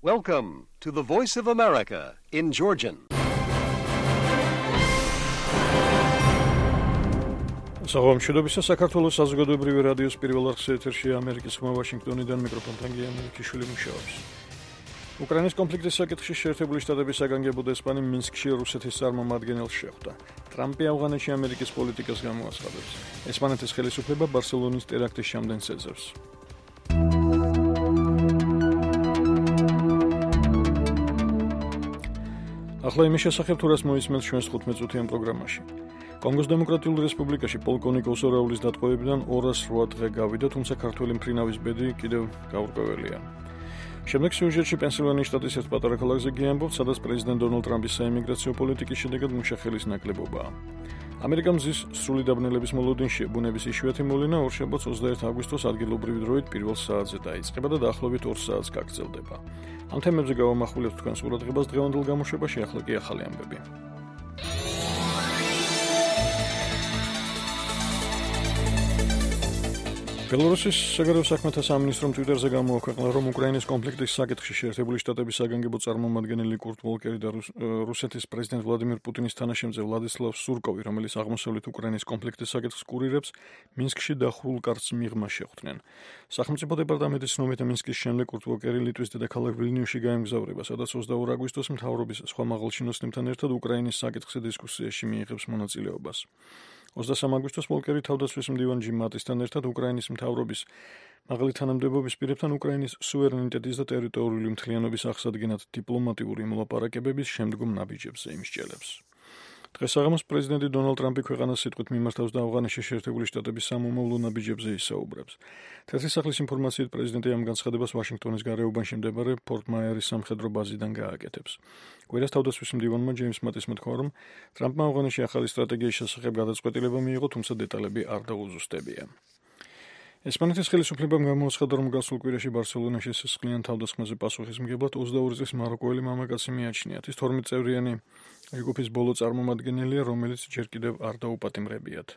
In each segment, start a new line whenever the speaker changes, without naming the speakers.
Welcome to the Voice of America in Georgian.
Საღამოშობისა საქართველოს საზოგადოებრივი რადიოს პირველ არხის ეთერში ამერიკის ხმა ვაშინგტონიდან მიკროფონთან გიამირიჩიშვილი მუშაობს. უკრაინის კონფლიქტის საკითხში შეერთებული შტატების საგანგებო დესპანი მინსკში რუსეთის წარმომადგენელს შეხვდა. ტრამპი ავღანეთში ამერიკის პოლიტიკას გამოაცხადებს. ესპანეთის ხელისუფლება ბარსელონის ტერაქტის ჩამდენს ეძებს. ახლა იმის შესახებ თუ რას მოისმენთ ჩვენს 15-წუთიან პროგრამაში. კონგოს დემოკრატიულ რესპუბლიკაში პოლკოვნიკ ოსორაულის დატყვევებიდან 208 დღე გავიდა, თუმცა ქართველი მფრინავის ბედი კიდევ გაურკვეველია. შემდეგ სიუჟეტში პენსილვანიის შტატის ერთ პატარა ქალაქზე გიამბობთ, სადაც პრეზიდენტ დონალდ ტრამპის საიმიგრაციო პოლიტიკის შედეგად მუშახელის ნაკლებობაა. ამერიკა მზის სრული დაბნელების მოლოდინშია, ბუნების იშვიათი მოვლინა ორშაბათს 21 აგვისტოს ადგილობრივი დროით პირველ საათზე დაიწყება და დაახლოებით 2 საათს გაგრძელდება. ამ თემებზე გავამახვილებთ თქვენს ყურადღებას დღევანდელ გამოშვებაში, ახლა კი ახალი ამბები. ბელორუსის საგარეო საქმეთა სამინისტრომ ტვიტერზე გამოაქვეყნა, რომ უკრაინის კონფლიქტის საკითხში შეერთებული შტატების საგანგებო წარმომადგენელი კურტ ვოლკერი და რუსეთის პრეზიდენტ ვლადიმირ პუტინის თანაშემწე ვლადისლავ სურკოვი, რომელიც აღმოსავლეთ უკრაინის კონფლიქტის საკითხს კურირებს, მინსკში დახურულ კარტს მიღმა შეხვდნენ. სახელმწიფო დეპარტამენტის ცნობით მინსკის შემდეგ კურტ ვოლკერი ლიტვის დედაქალაქ ვილნიუსში გაემგზავრება, სადაც 22 აგვისტოს მთავრობის სხვა მაღალჩინოსნებთან ერთად უკრაინის საკითხზე დისკუსიაში მიიღებს მონაწილეობას. 23 აგვისტოს ვოლკერი თავდაცვის მდივან ჯიმ მატისთან ერთად უკრაინის მთავრობის მაღალი თანამდებობის პირებთან უკრაინის სუვერენიტეტის და ტერიტორიული მთლიანობის აღსადგენად დიპლომატიური მოლაპარაკებების შემდგომ ნაბიჯებზე იმსჯელებს. დღეს საღამოს პრეზიდენტი დონალდ ტრამპი ქვეყანას სიტყვით მიმართავს და ავღანეთში შეერთებული შტატების სამომავლო ნაბიჯებზე ისაუბრებს. თეთრი სახლის ინფორმაციით პრეზიდენტი ამ განცხადებას ვაშინგტონის გარეუბანში მდებარე ფორტ მაიერის სამხედრო ბაზიდან გააკეთებს. კვირას თავდაცვის მდივანმა ჯეიმს მატისმა თქვა, რომ ტრამპმა ავღანეთში ახალი სტრატეგიის შესახებ გადაწყვეტილება მიიღო, თუმცა დეტალები არ დაუზუსტებია. ესპანეთის ხელისუფლებამ გამოაცხადა, რომ გასულ კვირაში ბარსელონაში სისხლიან თავდასხმაზე პასუხისმგებლად 22 წლის მაროკოელი მამაკაცი მიაჩნიათ. ის 12 წევრიანი ჯგუფის ბოლო წარმომადგენელია, რომელიც ჯერ კიდევ არ დაუპატიმრებიათ.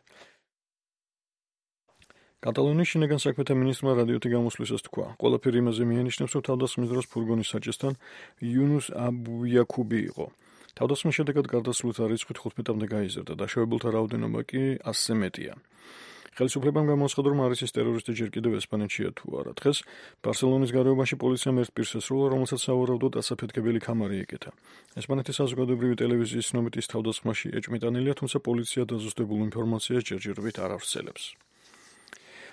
კატალონიის შინაგან საქმეთა მინისტრმა რადიოთი გამოსვლისას თქვა, ყველაფერი იმაზე მიანიშნებს, რომ თავდასხმის დროს ფურგონის საჭესთან იუნუს აბუიაკუბი იყო. თავდასხმის შედეგად გარდაცვლილთა რიცხვი 15-მდე გაიზარდა, დაშავებულთა რაოდენობა კი 100-ზე მეტია. ხელისუფლებამ გამოაცხადა, რომ არის ის ტერორისტი ჯერ კიდევ ესპანეთშია თუ არა. დღეს ბარსელონის გარეუბანში პოლიციამ ერთ პირს ესრულა, რომელსაც სავარაუდოდ ასაფეთქებელი ქამარი ეკეთა. ესპანეთის საზოგადოებრივი ტელევიზიის ცნობით ის თავდასხმაში ეჭვმიტანილია, თუმცა პოლიცია დაზუსტებულ ინფორმაციას ჯერჯერობით არ ავრცელებს.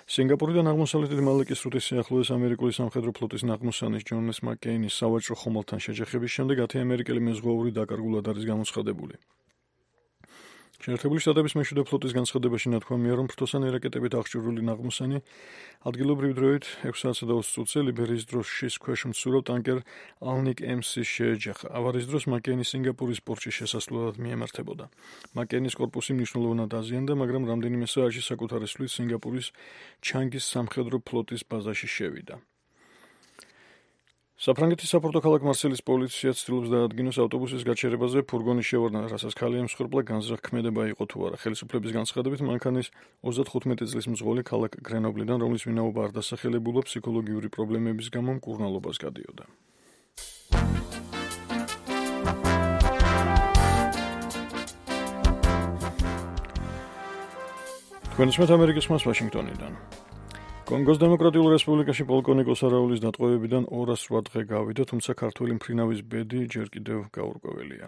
სინგაპურიდან აღმოსავლეთით მალაკის სრუტის სიახლოვეს ამერიკული სამხედრო ფლოტის ნაღმოსანის ჯონეს მაკეინის სავაჭრო ხომალდთან შეჯახების შემდეგ 10 ამერიკელი მეზღვაური დაკარგულად არის გამოცხადებული. შეერთებული შტატების მეშვიდე ფლოტის განცხადებაში ნათქვამია, რომ ფრთოსანი რაკეტებით აღჭურვილი ნაღმოსანი ადგილობრივ დროით 6:20 ლიბერიის დროს შის ქვეშ მცურავ ტანკერ ალნიკ MC-ს შეეჯახა. ავარიის დროს მაკეინის სინგაპურის პორტში შესასვლელად მიემართებოდა. მაკეინის კორპუსი მნიშვნელოვნად აზიანდა, მაგრამ რამდენიმე საათში საკუთარი სვლით სინგაპურის ჩანგის სამხედრო ფლოტის ბაზაში შევიდა. საფრანგეთის საპორტო ქალაქ მარსელის პოლიცია ცდილობს დაადგინოს ავტობუსის გაჩერებაზე ფურგონის შევარდნა, რასაც ქალი ემსხვერპლა განზრახქმედება იყო თუ არა. ხელისუფლების განცხადებით მანქანის 35 წლის მძღოლი ქალაქ გრენობლიდან, რომლის ვინაობა არ დასახელებულა, ფსიქოლოგიური პრობლემების გამო მკურნალობას გადიოდა. თქვენ ისმენთ ამერიკის ხმას ვაშინგტონიდან. კონგოს დემოკრატიულ რესპუბლიკაში პოლკოვნიკ ოსორაულის დატყვევებიდან 208 დღე გავიდა, თუმცა ქართველი მფრინავის ბედი ჯერ კიდევ გაურკვეველია.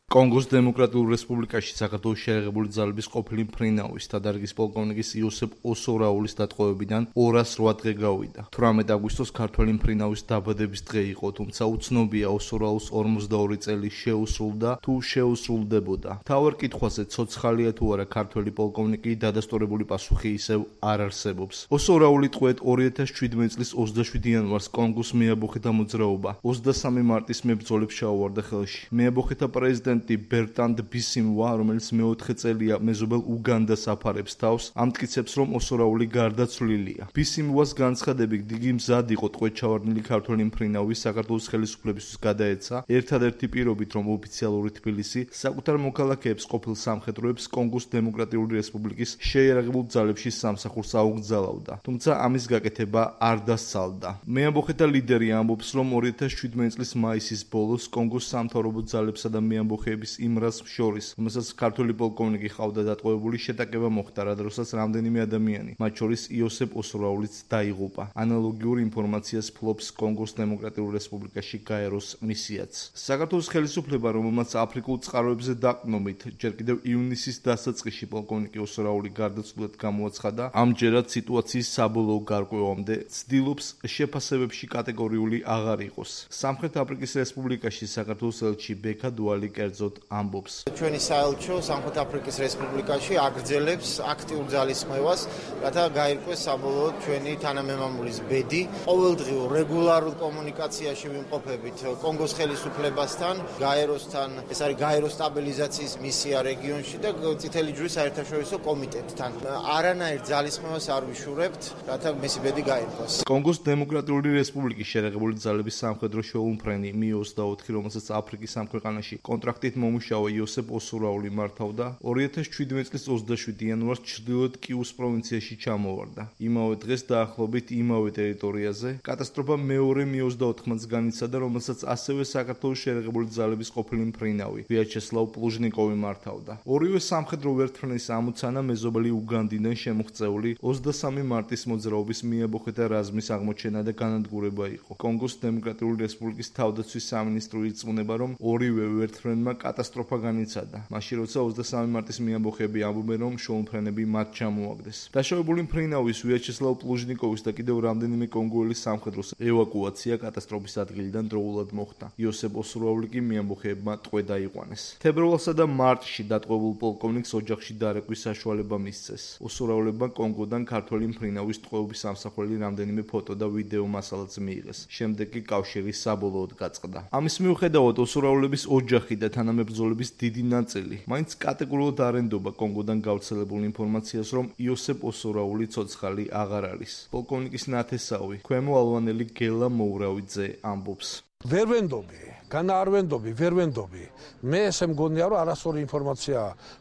კონგოს დემოკრატიულ რესპუბლიკაში საქართველოს შეერთებული ძალების ყოფილი მფრინავის დადარგის პოლკოვნიკის იოსებ ოსორაულის დატყვევებიდან 208 დღე გავიდა. 18 აგვისტოს ქართველი მფრინავის დაბადების დღე იყო, თუმცა უცნობია ოსორაულს 42 წელი შეუსრულდა თუ შეუსრულდებოდა. თავარ კითხვაზე ცოცხალია თუ არა ქართველი პოლკოვნიკი დადასტურებული პასუხი ისევ არ არსებობს. ოსორაული ტყვედ 2017 წლის 27 იანვარს კონგოს მეაბოხეთა მოძრაობა 23 მარტის მებრძოლებს ჩაუვარდა ხელში. მეაბოხეთა პრეზიდენტ პრეზიდენტი ბერტანდ ბისიმუა, რომელიც მეოთხე წელია მეზობელ უგანდას აფარებს თავს, ამტკიცებს, რომ ოსორაული გარდაცვლილია. ბისიმუას განცხადებით, იგი მზად იყო ტყვედ ჩავარდნილი ქართველი მფრინავი საქართველოს ხელისუფლებისთვის გადაეცა, ერთადერთი პირობით, რომ ოფიციალური თბილისი საკუთარ მოქალაქეებს ყოფილ სამხედროებს კონგოს დემოკრატიული რესპუბლიკის შეიარაღებულ ძალებში სამსახურს აუგზავნიდა. თუმცა ამის გაკეთება არ დასცალდა. მეამბოხეთა ლიდერი ამბობს, რომ 2017 წლის მაისის ბოლოს კონგოს სამთავრობო ძალებსა და მეამბოხეების იმ რაზმს შორის, რომელსაც ქართველი პოლკოვნიკი ჰყავდა დატყვევებული, შეტაკება მოხდა, რა დროსაც რამდენიმე ადამიანი, მათ შორის იოსებ ოსორაულიც დაიღუპა. ანალოგიურ ინფორმაციას ფლობს კონგოს დემოკრატიულ რესპუბლიკაში გაეროს მისიაც. საქართველოს ხელისუფლება, რომელმაც აფრიკულ წყაროებზე დაყრდნობით ჯერ კიდევ ივნისის დასაწყისში პოლკოვნიკი ოსორაული გარდაცვლილად გამოაცხადა, ამჯერად სიტუაციის საბოლოო გარკვევამდე ცდილობს შეფასებებში კატეგორიული აღარ იყოს. სამხრეთ აფრიკის რესპუბლიკაში საქართველოს ელჩი ბექა დუალი კერძოდ ამბობს.
ჩვენი საელჩო სამხრეთ აფრიკის რესპუბლიკაში აგრძელებს აქტიურ ძალისხმევას, რათა გაირკვეს საბოლოოდ ჩვენი თანამემამულის ბედი. ყოველდღიურ რეგულარულ კომუნიკაციაში ვიმყოფებით კონგოს ხელისუფლებასთან, გაეროსთან, ეს არის გაეროს სტაბილიზაციის მისია რეგიონში და წითელი ჯვრის საერთაშორისო კომიტეტთან. არანაირ ძალისხმევას არ ვიშურებთ, რათა მისი ბედი გაირკვეს.
კონგოს დემოკრატიული რესპუბლიკის შეიარაღებული ძალების სამხედრო შეუმფრენი Mi-24, რომელსაც აფრიკის ამ ქვეყანაში კონტრაქტით მომუშავა იოსებ ოსორაული მართავდა, 2017 წლის 27 იანვარს ჩრდილოეთ კიუს პროვინციაში ჩამოვარდა. იმავე დღეს დაახლოებით იმავე ტერიტორიაზე კატასტროფა მეორე Mi-24-მაც განიცადა, რომელსაც ასევე საქართველოს შეიარაღებული ძალების ყოფილი მფრინავი ვიაჩესლავ პლუჟნიკოვი მართავდა. ორივე სამხედრო ვერტმფრენის ამოცანა მეზობელი უგანდიდან შემოღწეული 23 მარტის მოძრაობის მიაბოხეთა რაზმის აღმოჩენა და განადგურება იყო. კონგოს დემოკრატიული რესპუბლიკის თავდაცვის სამინისტრო ირწმუნება, რომ ორივე ვერტმფრენმა კატასტროფა განიცადა. მაშინ როცა 23 მარტის მიაბოხეები ამბობენ, რომ შეუმფრენები მათ ჩამოაგდეს. დაშავებული მფრინავის ვიაჩესლავ პლუჟნიკოვის და კიდევ რამდენიმე კონგოელის სამხედროს ევაკუაცია კატასტროფის ადგილიდან დროულად მოხდა. იოსებ ოსორაული კი მიამბოხეებმა ტყვედ აიყვანეს. თებერვალსა და მარტში დატყვევულ პოლკოვნიკს ოჯახში დარეკვის საშუალება მისცეს. ოსორაულებმა კონგოდან ქართველი მფრინავის ტყვეობის ამსახველი რამდენიმე ფოტო და ვიდეო მასალაც მიიღეს. შემდეგ კი კავშირი საბოლოოდ გაწყდა. ამის მიუხედავად ოსორაულების ოჯახი და თანამებრძოლების დიდი ნაწილი მაინც კატეგორიულად არ ენდობა კონგოდან გავრცელებულ ინფორმაციას, რომ იოსებ ოსორაული ცოცხალი აღარ არის. პოლკოვნიკის ნათესავი, ქვემო ალვანელი გელა მოურავიძე ამბობს.
ვერ ვენდობი, განაარვენდობი, ვერ ვენდობი. მე ესე მგონია, რომ არასწორი ინფორმაცია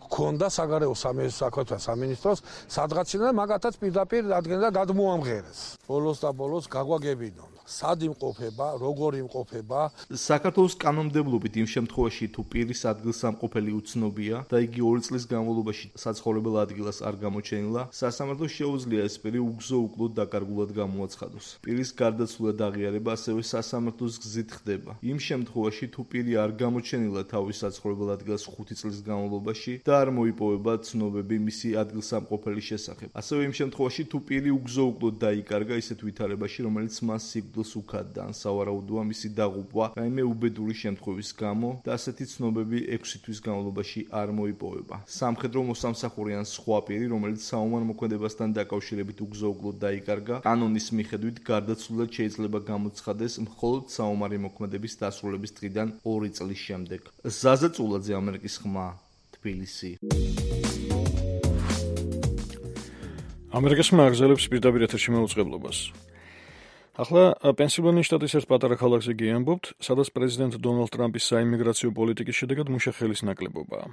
ჰქონდა საგარეო საქმეთა სამინისტროს, სადღაციდან მაგათაც პირდაპირ ადგენდა გადმოამღერეს. ბოლოს და ბოლოს გაგვაგებინონ. სად იმყოფება, როგორ იმყოფება.
საქართველოს კანონმდებლობით იმ შემთხვევაში, თუ პირის ადგილსამყოფელი უცნობია და იგი 2 წლის განმავლობაში საცხოვრებელ ადგილას არ გამოჩენილა, სასამართლოს შეუძლია ეს პირი უგზო-უკლოდ დაკარგულად გამოაცხადოს. პირის გარდაცვლა და აღიარება ასევე სასამართლოს გზით ხდება. იმ შემთხვევაში, თუ პირი არ გამოჩენილა თავის საცხოვრებელ ადგილას 5 წლის განმავლობაში და არ მოიპოვება ცნობები მისი ადგილსამყოფელის შესახებ. ასევე იმ შემთხვევაში, თუ პირი უგზო-უკლოდ დაიკარგა ისეთ ვითარებაში, რომელიც მას სიკვდილს უქადდა, ან სავარაუდოა მისი დაღუპვა რაიმე უბედური შემთხვევის გამო და ასეთი ცნობები 6 თვის განმავლობაში არ მოიპოვება. სამხედრო მოსამსახური ან სხვა პირი, რომელიც საომარ მოქმედებასთან დაკავშირებით უგზო-უკლოდ დაიკარგა, კანონის მიხედვით გარდაცვლილად შეიძლება გამოცხადეს მხოლოდ საომარი მოქმედების დასრულების დღიდან 2 წლის შემდეგ. ზაზა წულაძე, ამერიკის ხმა, თბილისი.
ამერიკის ხმა აგზელებს პირდაპირ ეთერში მოუწყებლობას. ახლა პენსილვანიის შტატის ერთ პატარა ქალაქზე გიამბობთ, სადაც პრეზიდენტ დონალდ ტრამპის საიმიგრაციო პოლიტიკის შედეგად მუშახელის ნაკლებობაა.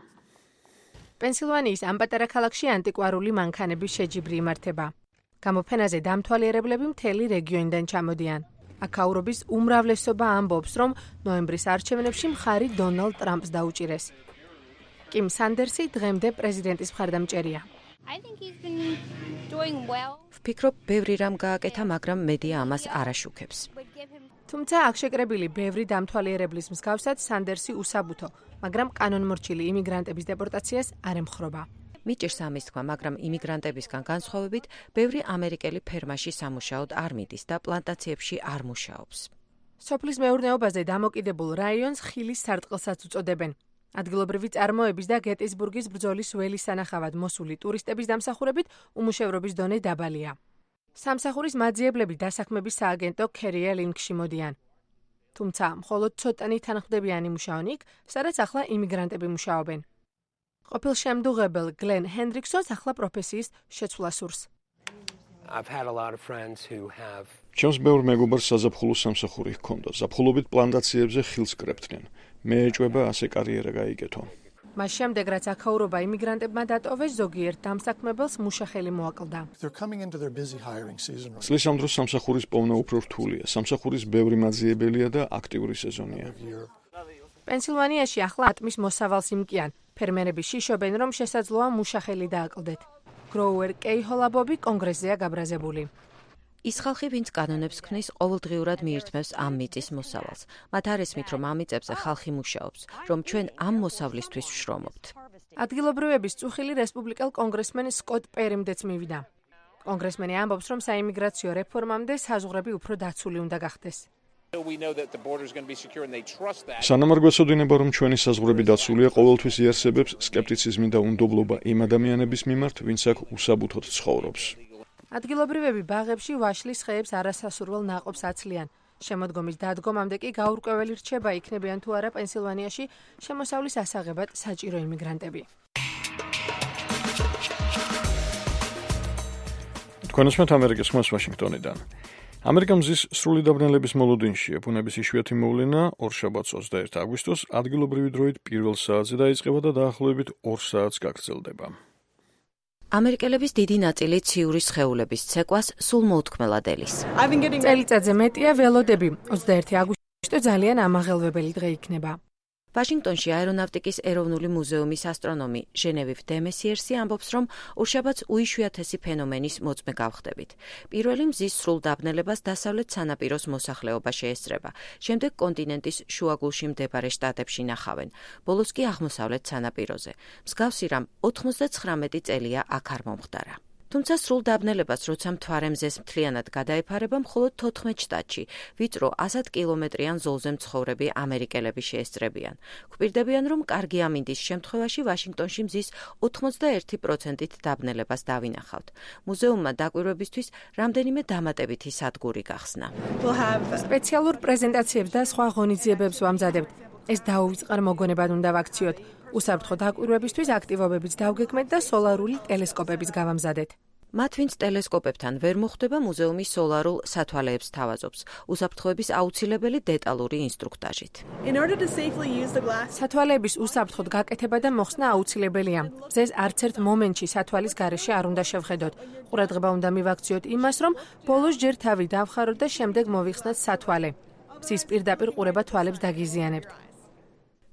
პენსილვანიის ამ პატარა ქალაქში ანტიკვარული მანქანების შეჯიბრი იმართება. გამოფენაზე დამთვალიერებლები მთელი რეგიონიდან ჩამოდიან. აქაურობის უმრავლესობა ამბობს, რომ ნოემბრის არჩევნებში მხარი დონალდ ტრამპს დაუჭირეს. კიმ სანდერსი დღემდე პრეზიდენტის მხარდამჭერია.
ვფიქრობ, ბევრი რამ გააკეთა, მაგრამ მედია ამას არ აშუქებს.
თუმცა აქ შეკრებილი ბევრი დამთვალიერებლის მსგავსად სანდერსი უსაბუთო, მაგრამ კანონმორჩილი იმიგრანტების დეპორტაციას არ ემხრობა.
მიჭირს ამის თქვა, მაგრამ იმიგრანტებისგან განსხვავებით, ბევრი ამერიკელი ფერმაში სამუშაოდ არ მიდის და პლანტაციებში არ მუშაობს.
სოფლის მეურნეობაზე დამოკიდებულ რაიონს ხილის სარტყელსაც უწოდებენ. ადგილობრივი წარმოების და გეტისბურგის ბრძოლის ველის სანახავად მოსული ტურისტების დამსახურებით უმუშევრობის დონე დაბალია. სამსახურის მაძიებლები დასაქმების სააგენტო ქერია ლინკში მოდიან. თუმცა მხოლოდ ცოტანი თანხმდებიანი მუშაობენ იქ, სადაც ახლა იმიგრანტები მუშაობენ. ყოფილ შემდუღებელ გლენ ჰენდრიქსონს ახლა პროფესიის შეცვლა სურს.
ჩემს ბევრ მეგობარს საზაფხულო სამსახური ჰქონდა. ზაფხულობით პლანტაციებზე ხილს კრებდნენ. მე ეჭვება ასე კარიერა გაიგეთო.
მას შემდეგ, რაც აქაურობა იმიგრანტებმა დატოვეს, ზოგიერთ დამსაქმებელს მუშახელი მოაკლდა.
წლის ამ დროს სამსახურის პოვნა უფრო რთულია. სამსახურის ბევრი მაძიებელია და აქტიური სეზონია.
პენსილვანიაში ახლა ატმის მოსავალს იმკიან. ფერმერები შიშობენ, რომ შესაძლოა მუშახელი დააკლდეთ. გროუერ კეიჰოლაბობი კონგრესზეა გაბრაზებული.
ის ხალხი, ვინც კანონებს ქმნის, ყოველდღიურად მიირთმევს ამ მიწის მოსავალს. მათ არ ესმით, რომ ამ მიწებზე ხალხი მუშაობს, რომ ჩვენ ამ მოსავლისთვის ვშრომობთ.
ადგილობრივების წუხილი რესპუბლიკელ კონგრესმენ სკოტ პერიმდეც მივიდა. კონგრესმენი ამბობს, რომ საიმიგრაციო რეფორმამდე საზღვრები უფრო დაცული უნდა გახდეს.
სანამ არ გვეცოდინება, რომ ჩვენი საზღვრები დაცულია, ყოველთვის იარსებებს სკეპტიციზმი და უნდობლობა იმ ადამიანების მიმართ, ვინც აქ უსაბუთოდ ცხოვრობს.
ადგილობრივები ბაღებში ვაშლის ხეებს არასასურველ ნაყოფს აცლიან. შემოდგომის დადგომამდე კი გაურკვეველი რჩება, იქნებიან თუ არა პენსილვანიაში შემოსავლის ასაღებად საჭირო იმიგრანტები.
თქვენ უსმენთ ამერიკის ხმას ვაშინგტონიდან. ამერიკა მზის სრული დაბნელების მოლოდინშია. ბუნების იშვიათი მოვლენა ორშაბათს 21 აგვისტოს ადგილობრივი დროით 1 საათზე დაიწყება და დაახლოებით 2 საათს გაგრძელდება.
ამერიკელების დიდი ნაწილი ციური სხეულების ცეკვას სულ მოუთქმელად ელის.
წელიწადზე მეტია ველოდები. 21 აგვისტო ძალიან ამაღელვებელი დღე იქნება.
ვაშინგტონში აერონავტიკის ეროვნული მუზეუმის ასტრონომი ჟენევივ დემესიერსი ამბობს, რომ ორშაბათს უიშვიათესი ფენომენის მოწმე გავხდებით. პირველი მზის სრულ დაბნელებას დასავლეთ სანაპიროს მოსახლეობა შეესწრება. შემდეგ კონტინენტის შუაგულში მდებარე შტატებში ნახავენ. ბოლოს კი აღმოსავლეთ სანაპიროზე. მსგავსი რამ 99 წელია აქ არ მომხდარა. თუმცა სრულ დაბნელებას, როცა მთვარე მზეს მთლიანად გადაეფარება, მხოლოდ 14 შტატში, ვიწრო 100 კილომეტრიან ზოლზე მცხოვრები ამერიკელები შეესწრებიან. გვპირდებიან, რომ კარგი ამინდის შემთხვევაში ვაშინგტონში მზის 81%-ით დაბნელებას დავინახავთ. მუზეუმმა დაკვირვებისთვის რამდენიმე დამატებითი სადგური გახსნა.
სპეციალურ პრეზენტაციებს და სხვა ღონისძიებებს ვამზადებთ. ეს დაუვიწყარ მოგონებად უნდა ვაქციოთ. უსაფრთხო დაკვირვებისთვის აქტივობებიც დავგეგმეთ და სოლარული ტელესკოპებიც გავამზადეთ.
მათ, ვინც ტელესკოპებთან ვერ მოხვდება, მუზეუმი სოლარულ სათვალეებს თავაზობს, უსაფრთხოების აუცილებელი დეტალური ინსტრუქტაჟით.
სათვალეების უსაფრთხოდ გაკეთება და მოხსნა აუცილებელია. მზეს არც ერთ მომენტში სათვალის გარეშე არ უნდა შევხედოთ. ყურადღება უნდა მივაქციოთ იმას, რომ ბოლოს ჯერ თავი დავხაროთ და შემდეგ მოვიხსნათ სათვალე. მზის პირდაპირ ყურება თვალებს დაგიზიანებთ.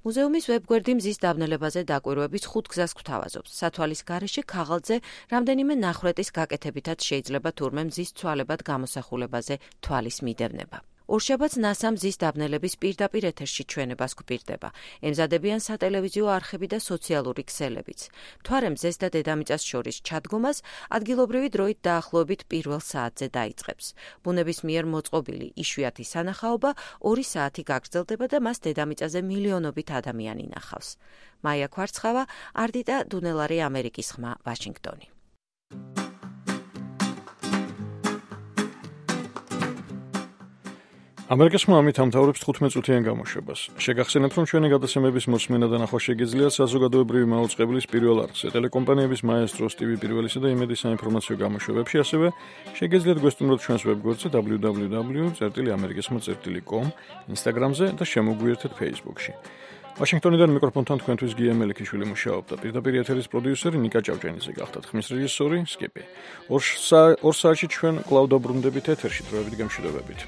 მუზეუმის ვებგვერდი მზის დაბნელებაზე დაკვირვების 5 გზას გვთავაზობს. სათვალის გარეშე ქაღალდზე რამდენიმე ნახრეტის გაკეთებითაც შეიძლება თურმე მზის ცვალებად გამოსახულებაზე თვალის მიდევნება. ორშაბათს NASA მზის დაბნელების პირდაპირ ეთერში ჩვენებას გვპირდება. ემზადებიან სატელევიზიო არხები და სოციალური ქსელებიც. მთვარე მზეს და დედამიწას შორის ჩადგომას ადგილობრივი დროით დაახლოებით 1 საათზე დაიწყებს. ბუნების მიერ მოწყობილი იშვიათი სანახაობა 2 საათი გაგრძელდება და მას დედამიწაზე მილიონობით ადამიანი ნახავს. მაია ქვარცხავა, არდიტა დუნელარი, ამერიკის ხმა, ვაშინგტონი.
ამერიკის ხმა ამით ამთავრებს 15 წუთიან გამოშვებას. შეგახსენებთ, რომ ჩვენი გადაცემების მოსმენა და ნახვა შეგიძლიათ საზოგადოებრივი მაუწყებლის პირველ არხზე, ტელეკომპანიების მაესტროს, TV პირველისა და იმედის საინფორმაციო გამოშვებებში, ასევე შეგიძლიათ გვესტუმროთ ჩვენს ვებგვერდზე www.amerikisma.com, Instagram-ზე და შემოგვიერთეთ Facebook-ში. ვაშინგტონიდან მიკროფონთან თქვენთვის გია მელიქიშვილი მუშაობდა. პირდაპირ ეთერის პროდიუსერი ნიკა ჭავჭენიძე გახდათ. ხმის რეჟისორი სკიპი. 2 საათში ჩვენ კვლავ დაბრუნდებით ეთერში. დროებით გემშვიდობებით.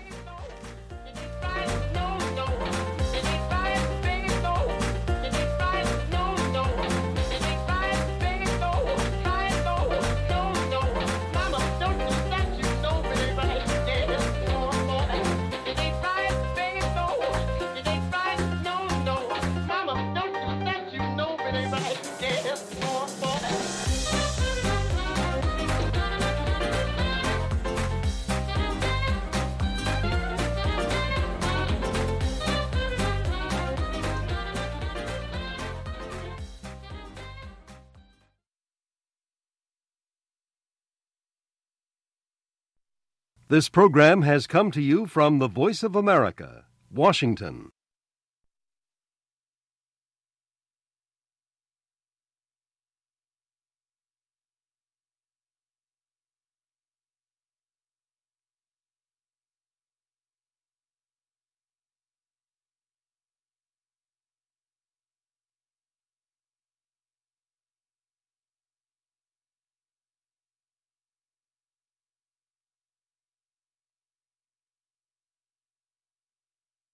This program has come to you from the Voice of America, Washington.